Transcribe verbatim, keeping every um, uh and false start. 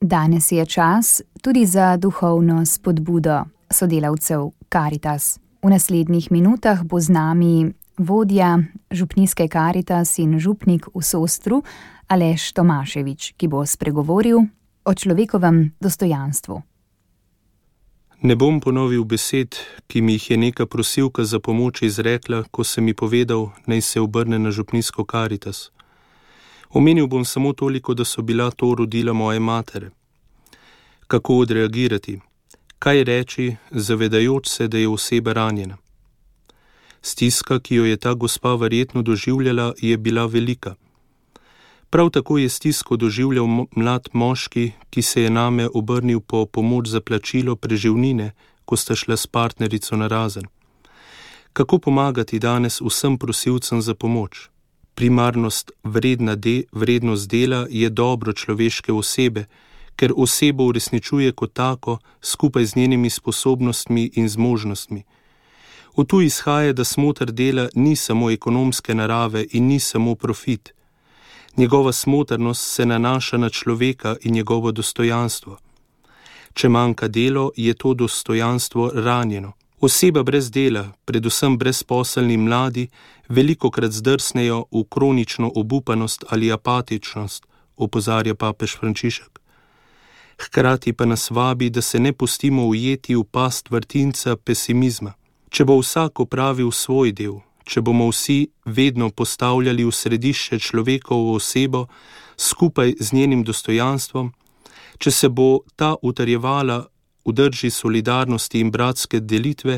Danes je čas tudi za duhovno spodbudo sodelavcev Karitas. V naslednjih minutah bo z nami vodja župnijske Karitas in župnik v Sostru Aleš Tomaševič, ki bo spregovoril o človekovem dostojanstvu. Ne bom ponovil besed, ki mi jih je neka prosilka za pomoč izrekla, ko sem mi povedal, naj se obrne na župnijsko Karitas. Omenil bom samo toliko, da so bila to rodila moje matere. Kako odreagirati? Kaj reči, zavedajoč se, da je oseba ranjena? Stiska, ki jo je ta gospa verjetno doživljala, je bila velika. Prav tako je stisko doživljal mlad moški, ki se je name obrnil po pomoč za plačilo preživnine, ko sta šla s partnerico narazen. Kako pomagati danes vsem prosilcem za pomoč? Primarnost vredna de, vrednost dela je dobro človeške osebe, ker osebo uresničuje kot tako, skupaj z njenimi sposobnostmi in zmožnostmi. Od tu izhaja, da smoter dela ni samo ekonomske narave in ni samo profit. Njegova smotrnost se nanaša na človeka in njegovo dostojanstvo. Če manjka delo, je to dostojanstvo ranjeno. Oseba brez dela, predvsem brezposelni mladi, velikokrat zdrsnejo v kronično obupanost ali apatičnost, opozarja papež Frančišek. Hkrati pa nas vabi, da se ne pustimo ujeti v past vrtinca pesimizma. Če bo vsak opravil svoj del, če bomo vsi vedno postavljali v središče človekovo osebo skupaj z njenim dostojanstvom, če se bo ta utrjevala v drži solidarnosti in bratske delitve,